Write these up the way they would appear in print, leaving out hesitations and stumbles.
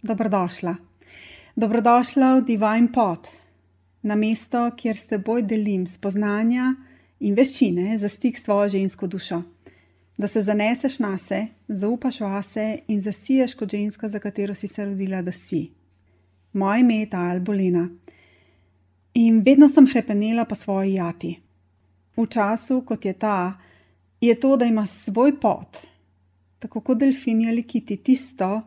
Dobrodošla. Dobrodošla v Divine Pod, na mesto, kjer s teboj delim spoznanja in veščine za stik s tvojo žensko dušo. Da se zaneseš nase, zaupaš vase in zasiješ kot ženska, za katero si se rodila, da si. Moje ime je Tajl Bolena. In vedno sem hrepenela po svoji jati. V času, kot je ta, je to, da ima svoj pot, tako kot delfini ali kiti, tisto,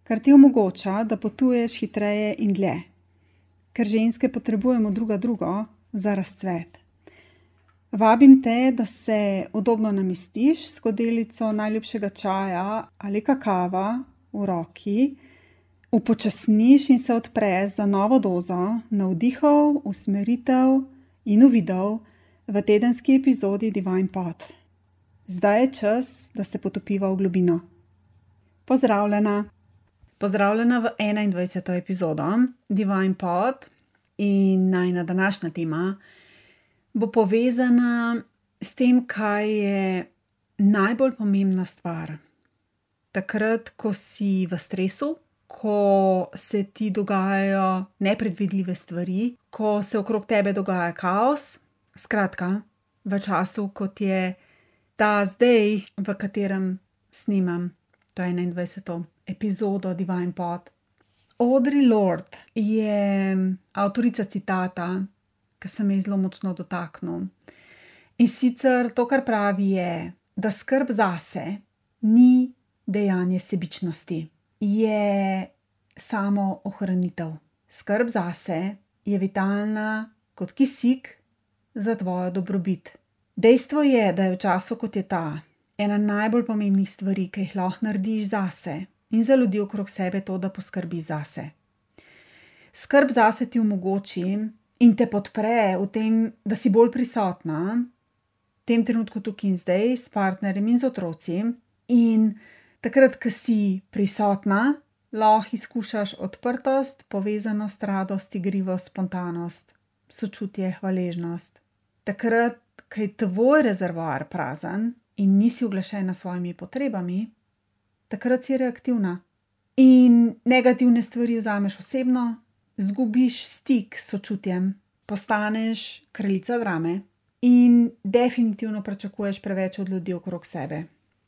kar ti omogoča, da potuješ hitreje in dlje. Ker ženske potrebujemo drugo za razcvet. Vabim te, da se udobno namestiš s skodelico najljubšega čaja ali kakava v roki, upočasniš in se odpreš za novo dozo navdihov, usmeritev in uvidov v tedenski epizodi Divine Pod. Zdaj je čas, da se potopiva v globino. Pozdravljena! Pozdravljena v 21. epizodo Divine Pod in najina današnja tema bo povezana s tem, kaj je najbolj pomembna stvar. Takrat, ko si v stresu, ko se ti dogajajo nepredvidljive stvari, ko se okrog tebe dogaja kaos, skratka, v času, kot je ta zdaj, v katerem snimam to 21. epizodo Divine Pod. Audre Lorde je avtorica citata, ki se me je zelo močno dotaknil. In sicer to, kar pravi, je, da skrb zase ni dejanje sebičnosti, je samo ohranitev. Skrb zase je vitalna kot kisik za tvojo dobrobit. Dejstvo je, da je v času, kot je ta, ena najbolj pomembnih stvari, ki jih lahko narediš zase in za ljudi okrog sebe, to, da poskrbiš zase. Skrb zase ti omogoči in te podpre v tem, da si bolj prisotna, v tem trenutku tukaj in zdaj, s partnerjem in z otroci. In takrat, ko si prisotna, lahko izkušaš odprtost, povezanost, radost, igrivost, spontanost, sočutje, hvaležnost. Takrat, ko je tvoj rezervoar prazen in nisi uglašena s svojimi potrebami, takrat si reaktivna. In negativne stvari vzameš osebno, zgubiš stik s sočutjem, postaneš kraljica drame in definitivno pričakuješ preveč od ljudi okrog sebe.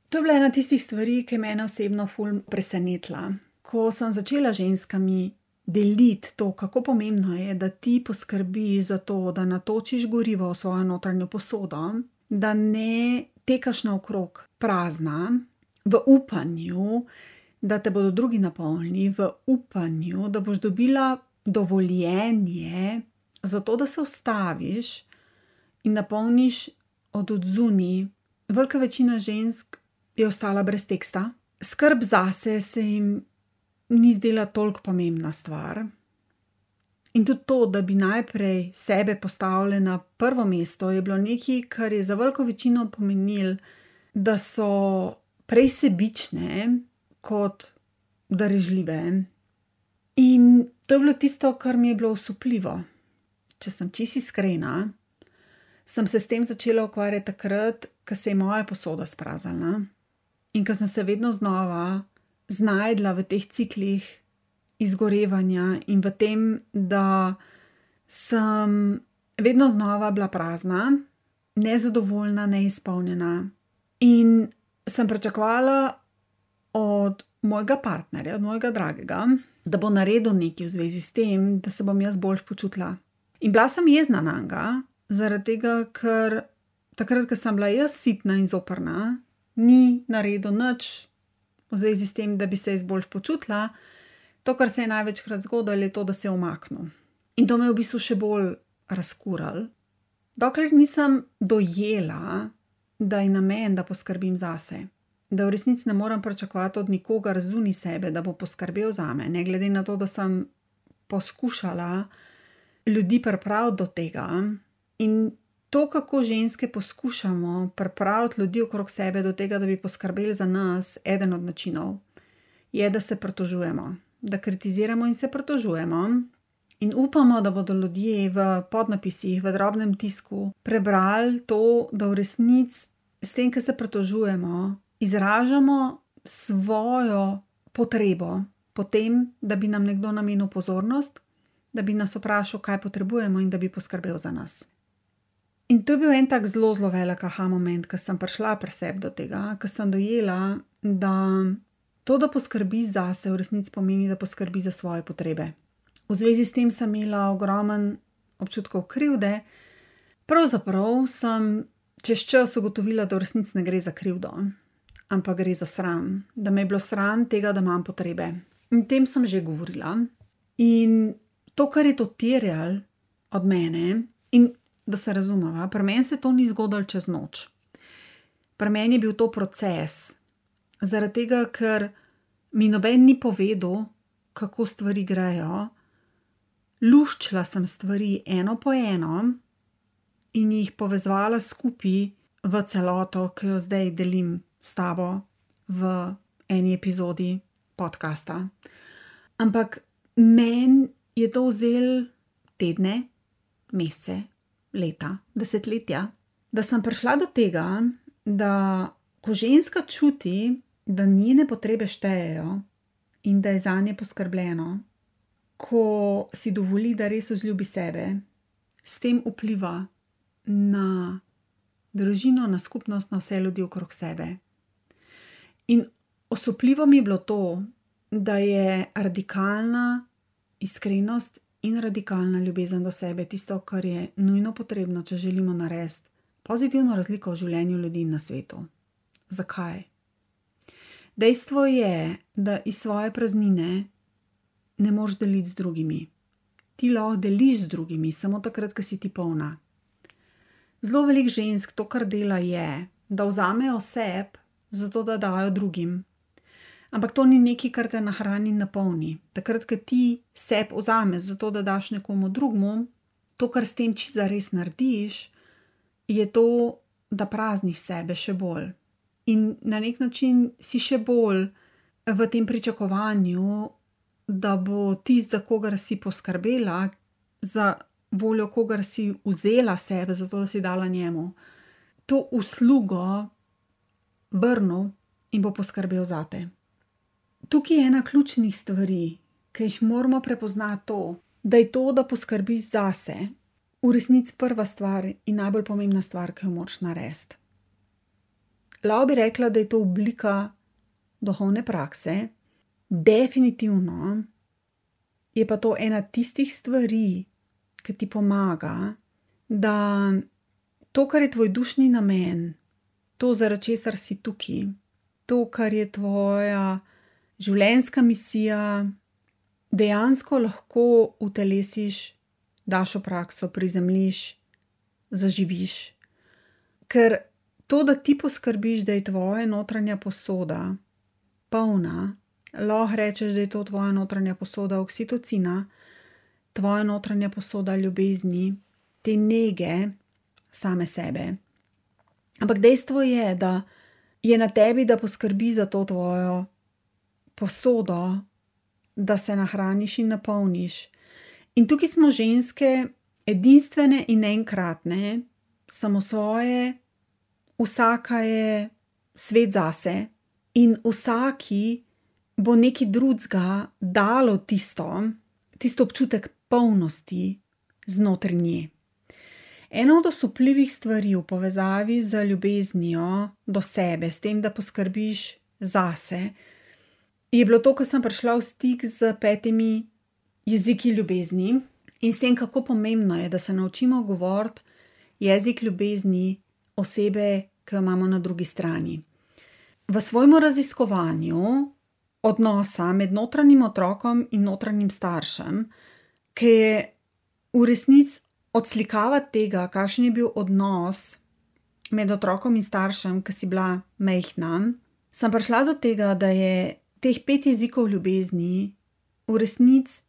To je bila ena tistih stvari, ki je mene osebno ful presenetila. Ko sem začela ženskami deliti to, kako pomembno je, da ti poskrbiš za to, da natočiš gorivo v svojo notranjo posodo, da ne tekaš naokrog prazna, v upanju, da te bodo drugi napolnili, v upanju, da boš dobila dovoljenje za to, da se ustaviš in napolniš od odzunaj. Velika večina žensk je ostala brez teksta. Skrb zase se jim ni zdela toliko pomembna stvar. In tudi to, da bi najprej sebe postavili na prvo mesto, je bilo nekaj, kar je za veliko večino pomenilo, da so prej sebične kot darežljive. In to je bilo tisto, kar mi je bilo osupljivo. Če sem čisto iskrena, sem se s tem začela ukvarjati takrat, ko se je moja posoda spraznila in ko sem se vedno znova znajdla v teh ciklih izgorevanja in v tem, da sem vedno znova bila prazna, nezadovoljna, neizpolnjena. In sem pričakovala od mojega partnerja, od mojega dragega, da bo naredil nekaj v zvezi s tem, da se bom jaz boljš počutila. In bila sem jezna nanj, zaradi tega, ker takrat, ko sem bila jaz sitna in zoprna, ni naredil nič v zvezi s tem, da bi se jaz boljš počutila. To, kar se je največkrat zgodilo, je to, da se je umaknil. In to me je v bistvu še bolj razkuralo. Dokler nisem dojela, da je namen, da poskrbim zase. Da v resnici ne morem pričakovati od nikogar zunaj sebe, da bo poskrbel zame. Ne glede na to, da sem poskušala ljudi pripraviti do tega. In to, kako ženske poskušamo pripraviti ljudi okrog sebe do tega, da bi poskrbeli za nas, eden od načinov, je, da se pritožujemo. Da kritiziramo in se pritožujemo. In upamo, da bodo ljudje v podnapisih, v drobnem tisku prebrali to, da v resnici s tem, ko se pritožujemo, izražamo svojo potrebo potem, da bi nam nekdo namenil pozornost, da bi nas vprašal, kaj potrebujemo in da bi poskrbel za nas. In to je bil en tak zelo, zelo velik aha moment, ko sem prišla pri sebi do tega, ko sem dojela, da to, da poskrbi zase, v resnici pomeni, da poskrbi za svoje potrebe. V zvezi s tem sem imela ogromen občutkov krivde, pravzaprav sem čez čas ugotovila, da v resnici ne gre za krivdo, ampak gre za sram, da me je bilo sram tega, da imam potrebe. In o tem sem že govorila. In to, kar je to terjalo od mene, in da se razumeva, pri meni se to ni zgodilo čez noč. Pri meni je bil to proces, zaradi tega, ker mi noben ni povedal, kako stvari grejo. Luščila sem stvari eno po eno in jih povezovala skupaj v celoto, ki jo zdaj delim s tabo v eni epizodi podcasta. Ampak meni je to vzelo tedne, mesece, leta, desetletja, da sem prišla do tega, da ko ženska čuti, da njene potrebe štejejo in da je zanje poskrbljeno, ko si dovoli, da res vzljubi sebe, s tem vpliva na družino, na skupnost, na vse ljudi okrog sebe. In osupljivo mi je bilo to, da je radikalna iskrenost in radikalna ljubezen do sebe tisto, kar je nujno potrebno, če želimo narediti pozitivno razliko v življenju ljudi na svetu. Zakaj? Dejstvo je, da iz svoje praznine ne moreš deliti z drugimi. Ti lahko deliš z drugimi, samo takrat, ko si ti polna. Zelo veliko žensk to, kar dela, je, da vzamejo sebe, zato da dajo drugim. Ampak to ni nekaj, kar te nahrani in napolni. Takrat, ko ti sebe vzameš, zato da daš nekomu drugmu, to, kar s tem čisto zares narediš, je to, da prazniš sebe še bolj. In na nek način si še bolj v tem pričakovanju, da bo tisti, za kogar si poskrbela, za voljo kogar si vzela sebe, zato da si dala njemu, to uslugo vrnil in bo poskrbel zate. Tukaj je ena ključnih stvari, ki jih moramo prepoznati to, da je to, da poskrbiš zase, v resnici prva stvar in najbolj pomembna stvar, ki jo moraš narediti. Lahko bi rekla, da je to oblika duhovne prakse, definitivno je pa to ena tistih stvari, ki ti pomaga, da to, kar je tvoj dušni namen, to, zaradi česar si tukaj, to, kar je tvoja življenjska misija, dejansko lahko utelesiš, daš v prakso, prizemljiš, zaživiš. Ker to, da ti poskrbiš, da je tvoja notranja posoda polna, lahko rečeš, da je to tvoja notranja posoda oksitocina, tvoja notranja posoda ljubezni, te nege same sebe. Ampak dejstvo je, da je na tebi, da poskrbi za to tvojo posodo, da se nahraniš in napolniš. In tukaj smo ženske edinstvene in enkratne, samosvoje, vsaka je svet zase in vsaki bo nekaj drugega dalo tisto občutek polnosti znotraj nje. Ena od osupljivih stvari v povezavi z ljubeznijo do sebe, s tem, da poskrbiš zase, je bilo to, ko sem prišla v stik z 5 jeziki ljubezni in s tem, kako pomembno je, da se naučimo govoriti jezik ljubezni osebe, ki jo imamo na drugi strani. V svojem raziskovanju odnosa med notranjim otrokom in notranjim staršem, ki je v resnici odslikava tega, kakšen je bil odnos med otrokom in staršem, ki si bila majhna, sem prišla do tega, da je teh 5 jezikov ljubezni v resnici,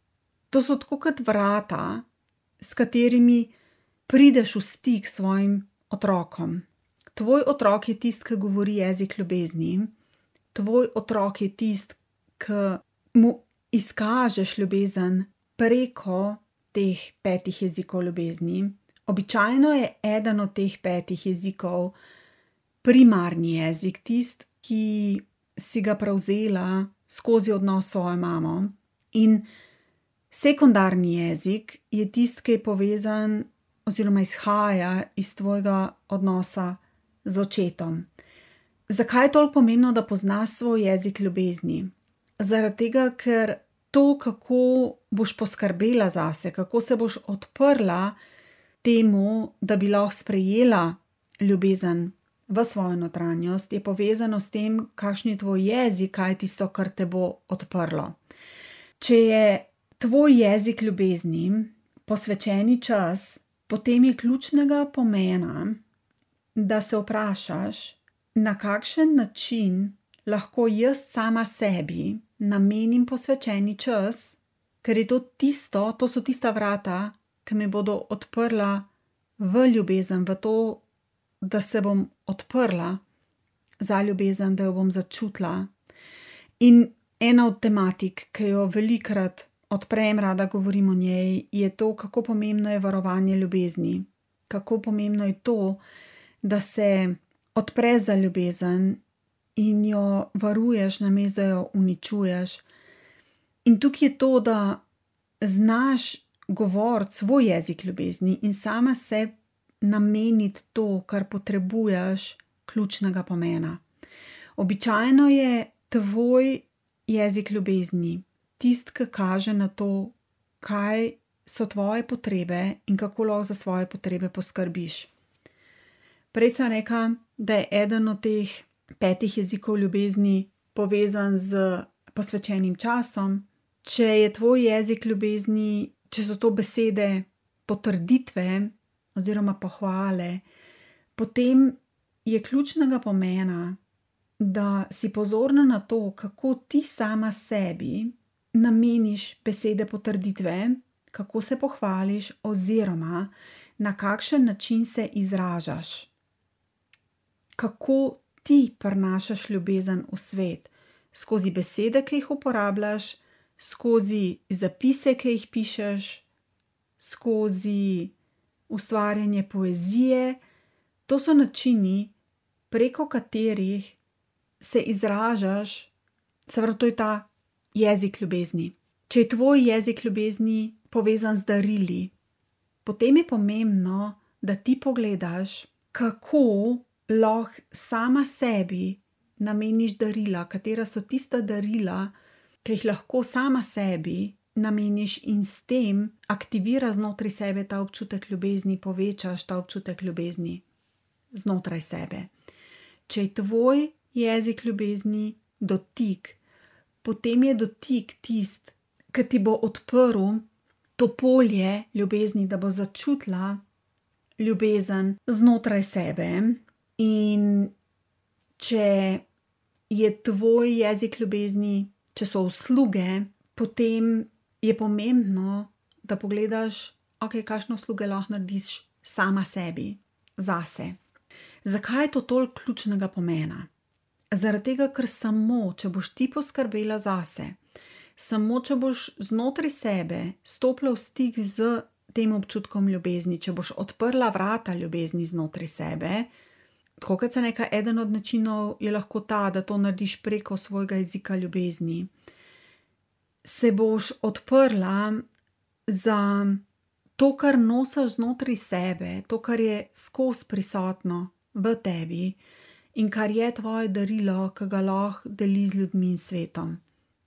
to so tako kot vrata, s katerimi prideš v stik s svojim otrokom. Tvoj otrok je tisti, ki govori jezik ljubezni. Tvoj otrok je tisti, ki mu izkažeš ljubezen preko teh 5 jezikov ljubezni. Običajno je eden od teh 5 jezikov primarni jezik, tisti, ki si ga prevzela skozi odnos s svojo mamo. In sekundarni jezik je tisti, ki je povezan oziroma izhaja iz tvojega odnosa z očetom. Zakaj je toliko pomembno, da poznaš svoj jezik ljubezni? Zaradi tega, ker to, kako boš poskrbela zase, kako se boš odprla temu, da bi lahko sprejela ljubezen v svojo notranjost, je povezano s tem, kakšen je tvoj jezik, kaj je tisto, kar te bo odprlo. Če je tvoj jezik ljubezni posvečeni čas, potem je ključnega pomena, da se vprašaš, na kakšen način lahko jaz sama sebi namenim posvečeni čas, ker je to so tista vrata, ki mi bodo odprla v ljubezen, v to, da se bom odprla za ljubezen, da jo bom začutila. In ena od tematik, ki jo velikokrat odprem, rada govorim o njej, je to, kako pomembno je varovanje ljubezni. Kako pomembno je to, da se odpreš za ljubezen in jo varuješ, namesto da jo uničuješ. In tukaj je to, da znaš govoriti svoj jezik ljubezni in sama se nameniti to, kar potrebuješ, ključnega pomena. Običajno je tvoj jezik ljubezni tisti, ki kaže na to, kaj so tvoje potrebe in kako lahko za svoje potrebe poskrbiš. Prej sem rekla, da je eden od teh 5 jezikov ljubezni povezan z posvečenim časom. Če je tvoj jezik ljubezni, če so to besede potrditve oziroma pohvale, potem je ključnega pomena, da si pozorna na to, kako ti sama sebi nameniš besede potrditve, kako se pohvališ oziroma na kakšen način se izražaš. Kako ti prinašaš ljubezen v svet, skozi besede, ki jih uporabljaš, skozi zapise, ki jih pišeš, skozi ustvarjanje poezije. To so načini, preko katerih se izražaš, seveda to je ta jezik ljubezni. Če je tvoj jezik ljubezni povezan z darili, potem je pomembno, da ti pogledaš, kako lahko sama sebi nameniš darila, katera so tista darila, ki jih lahko sama sebi nameniš in s tem aktivira znotraj sebe ta občutek ljubezni, povečaš ta občutek ljubezni znotraj sebe. Če je tvoj jezik ljubezni dotik, potem je dotik tisti, ki ti bo odprl to polje ljubezni, da bo začutila ljubezen znotraj sebe. In če je tvoj jezik ljubezni, če so usluge, potem je pomembno, da pogledaš, kakšne usluge lahko narediš sama sebi, zase. Zakaj je to toliko ključnega pomena? Zaradi tega, ker samo, če boš ti poskrbela zase, samo, če boš znotraj sebe stopila v stik z tem občutkom ljubezni, če boš odprla vrata ljubezni znotraj sebe, tako kot sem rekla, eden od načinov je lahko ta, da to narediš preko svojega jezika ljubezni, se boš odprla za to, kar nosiš znotraj sebe, to, kar je skozi prisotno v tebi in kar je tvoje darilo, ki ga lahko deliš z ljudmi in svetom.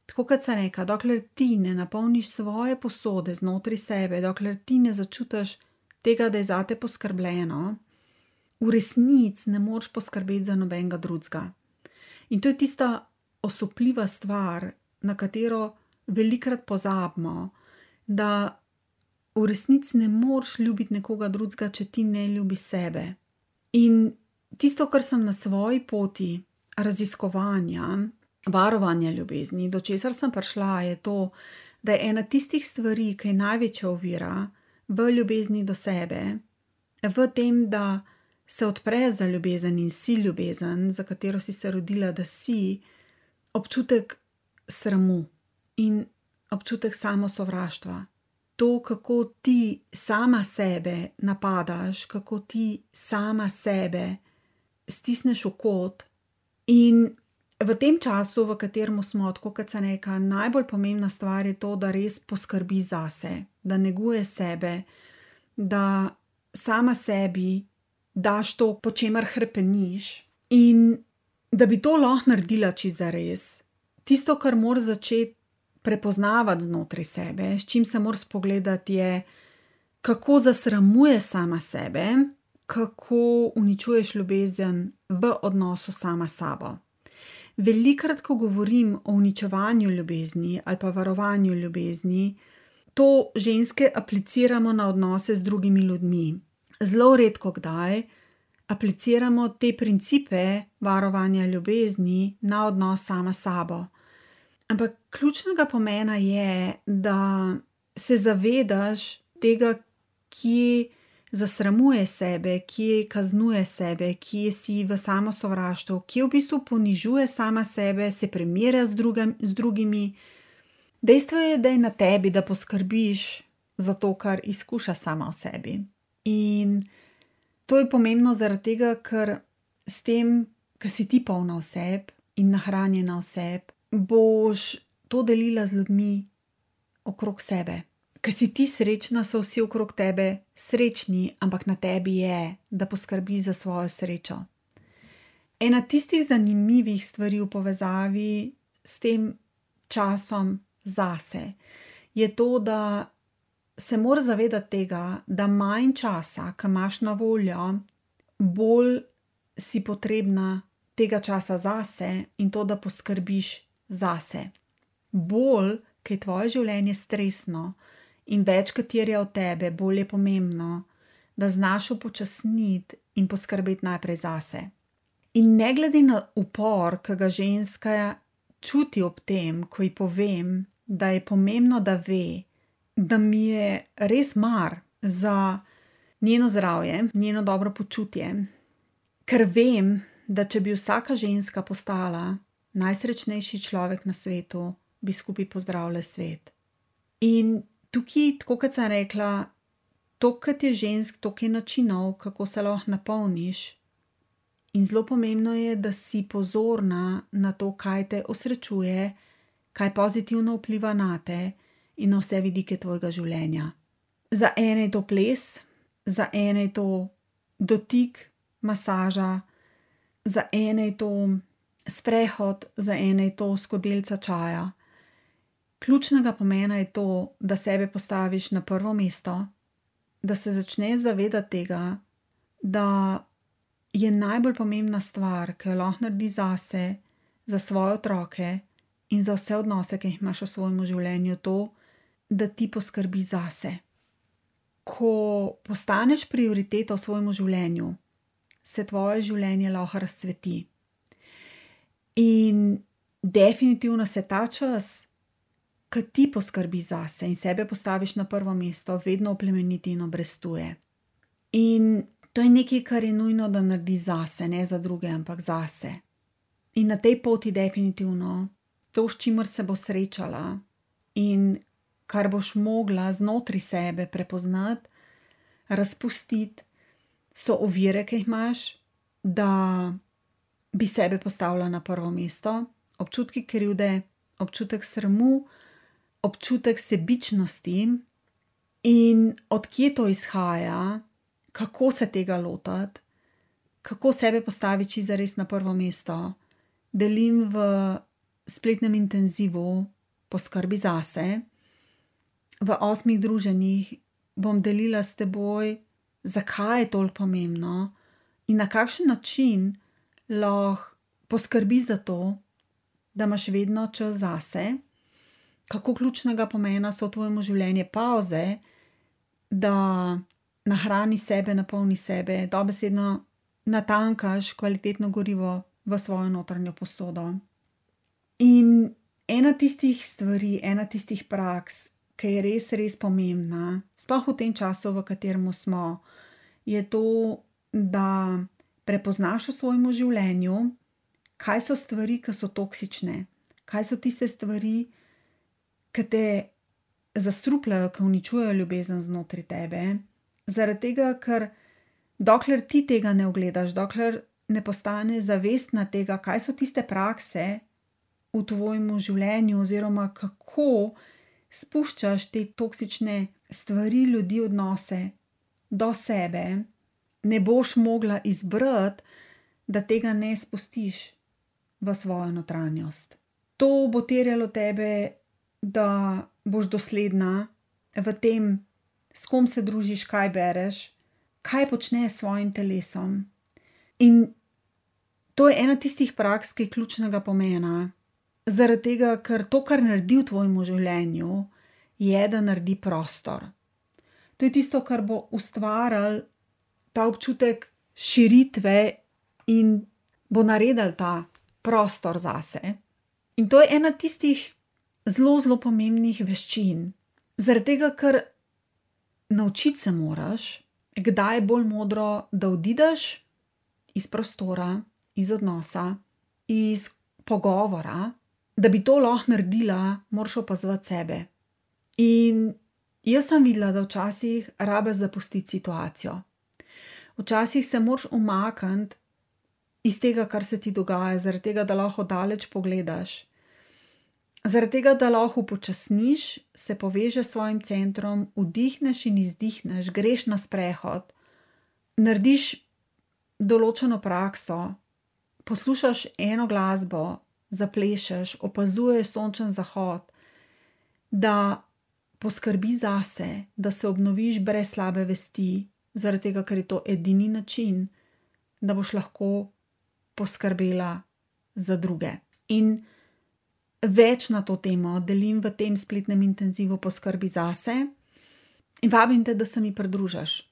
Tako kot sem rekla, dokler ti ne napolniš svoje posode znotraj sebe, dokler ti ne začutiš tega, da je zate poskrbljeno, v resnici ne moreš poskrbeti za nobenega drugega. In to je tista osupljiva stvar, na katero velikokrat pozabimo, da v resnici ne moreš ljubiti nekoga drugega, če ti ne ljubiš sebe. In tisto, kar sem na svoji poti raziskovanja, varovanja ljubezni, do česar sem prišla, je to, da je ena tistih stvari, ki je največja ovira v ljubezni do sebe, v tem, da se odpreš za ljubezen in si ljubezen, za katero si se rodila, da si, občutek sramu in občutek samosovraštva. To, kako ti sama sebe napadaš, kako ti sama sebe stisneš v kot in v tem času, v katerem smo, tako kot sem rekla, najbolj pomembna stvar je to, da res poskrbi zase, da neguje sebe, da sama sebi daš to, po čemer hrepeniš, in da bi to lahko naredila čisto zares. Tisto, kar moraš začeti prepoznavati znotraj sebe, s čim se moraš spogledati, je, kako zasramuje sama sebe, kako uničuješ ljubezen v odnosu sama s sabo. Velikokrat, ko govorim o uničevanju ljubezni ali pa varovanju ljubezni, to ženske apliciramo na odnose z drugimi ljudmi. Zelo redko kdaj apliciramo te principe varovanja ljubezni na odnos sama s sabo. Ampak ključnega pomena je, da se zavedaš tega, kje zasramuje sebe, kje kaznuje sebe, kje si v samosovraštvu, kje v bistvu ponižuje sama sebe, se primerja z drugimi. Dejstvo je, da je na tebi, da poskrbiš za to, kar izkuša sama v sebi. In to je pomembno zaradi tega, ker s tem, ko si ti polna oseb in nahranjena oseb, boš to delila z ljudmi okrog sebe. Ko si ti srečna, so vsi okrog tebe srečni, ampak na tebi je, da poskrbi za svojo srečo. Ena tistih zanimivih stvari v povezavi s tem časom zase je to, da se moraš zavedati tega, da manj časa, ki imaš na voljo, bolj si potrebna tega časa zase in to, da poskrbiš zase. Bolj, ker je tvoje življenje stresno in več, kot terja od tebe, bolj je pomembno, da znaš upočasniti in poskrbeti najprej zase. In ne glede na upor, ki ga ženska čuti ob tem, ko ji povem, da je pomembno, da ve, da mi je res mar za njeno zdravje, njeno dobro počutje, ker vem, da če bi vsaka ženska postala najsrečnejši človek na svetu, bi skupaj pozdravili svet. In tukaj, tako kot sem rekla, toliko je žensk, toliko je načinov, kako se lahko napolniš. In zelo pomembno je, da si pozorna na to, kaj te osrečuje, kaj pozitivno vpliva na te in na vse vidike tvojega življenja. Za ene je to ples, za ene je to dotik, masaža, za ene je to sprehod, za ene je to skodelica čaja. Ključnega pomena je to, da sebe postaviš na prvo mesto, da se začneš zavedati tega, da je najbolj pomembna stvar, ki jo lahko narediš zase, za svoje otroke in za vse odnose, ki jih imaš v svojem življenju, to, da ti poskrbiš zase. Ko postaneš prioriteta v svojem življenju, se tvoje življenje lahko razcveti. In definitivno se ta čas, ko ti poskrbiš zase in sebe postaviš na prvo mesto, vedno oplemeniti in obrestuje. In to je nekaj, kar je nujno, da narediš zase, ne za druge, ampak zase. In na tej poti definitivno to, s čimer se bo srečala in kar boš mogla znotraj sebe prepoznati, razpustiti, so ovire, ki jih imaš, da bi sebe postavila na prvo mesto, občutki krivde, občutek sramu, občutek sebičnosti in od kje to izhaja, kako se tega lotiti, kako sebe postaviti zares na prvo mesto. Delim v spletnem intenzivu Poskrbi zase. V 8 druženjih bom delila s teboj, zakaj je toliko pomembno in na kakšen način lahko poskrbi za to, da imaš vedno čas zase, kako ključnega pomena so v tvojem življenju pavze, da nahrani sebe, napolni sebe, dobesedno natankaš kvalitetno gorivo v svojo notranjo posodo. In ena tistih stvari, ena tistih praks, ki je res, res pomembna, sploh v tem času, v katerem smo, je to, da prepoznaš v svojem življenju, kaj so stvari, ki so toksične, kaj so tiste stvari, ki te zastrupljajo, ki uničujejo ljubezen znotraj tebe, zaradi tega, ker dokler ti tega ne ugledaš, dokler ne postaneš zavestna tega, kaj so tiste prakse v tvojem življenju, oziroma kako spuščaš te toksične stvari, ljudi, odnose do sebe, ne boš mogla izbrati, da tega ne spustiš v svojo notranjost. To bo terjalo tebe, da boš dosledna v tem, s kom se družiš, kaj bereš, kaj počneš s svojim telesom. In to je ena tistih praks, ki je ključnega pomena, zaradi tega, ker to, kar naredi v tvojem življenju, je, da naredi prostor. To je tisto, kar bo ustvarilo ta občutek širitve in bo naredil ta prostor zase. In to je ena tistih zelo, zelo pomembnih veščin. Zaradi tega, ker naučiti se moraš, kdaj je bolj modro, da odideš iz prostora, iz odnosa, iz pogovora. Da bi to lahko naredila, moraš opazovati sebe. In jaz sem videla, da včasih rabiš zapustiti situacijo. Včasih se moraš umakniti iz tega, kar se ti dogaja, zaradi tega, da lahko daleč pogledaš. Zaradi tega, da lahko upočasniš, se povežeš s svojim centrom, vdihneš in izdihneš, greš na sprehod, narediš določeno prakso, poslušaš eno glasbo, zaplešeš, opazuješ sončen zahod, da poskrbi zase, da se obnoviš brez slabe vesti, zaradi tega, ker je to edini način, da boš lahko poskrbela za druge. In več na to temo delim v tem spletnem intenzivu Poskrbi zase in vabim te, da se mi pridružiš.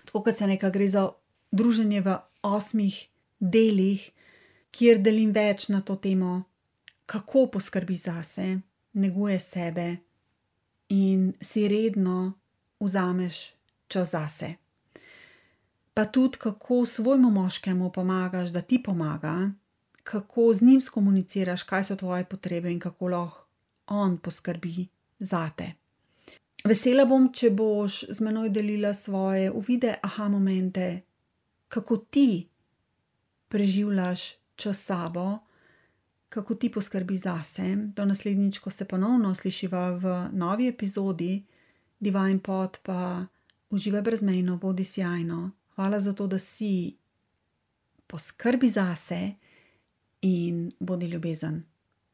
Tako kot se nekaj gre za druženje v 8 delih, kjer delim več na to temo, kako poskrbi zase, neguje sebe in si redno vzameš čas zase. Pa tudi, kako svojemu moškemu pomagaš, da ti pomaga, kako z njim skomuniciraš, kaj so tvoje potrebe in kako lahko on poskrbi zate. Vesela bom, če boš z menoj delila svoje uvide, aha momente, kako ti preživljaš čas s sabo, kako ti poskrbi zase. Do naslednjič, ko se ponovno slišiva v novi epizodi Divine Pot, pa uživaj brezmejno, bodi sijajno. Hvala za to, da si. Poskrbi zase in bodi ljubezen.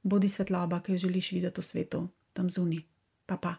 Bodi svetloba, ki jo želiš videti v svetu, tam zunaj. Pa pa.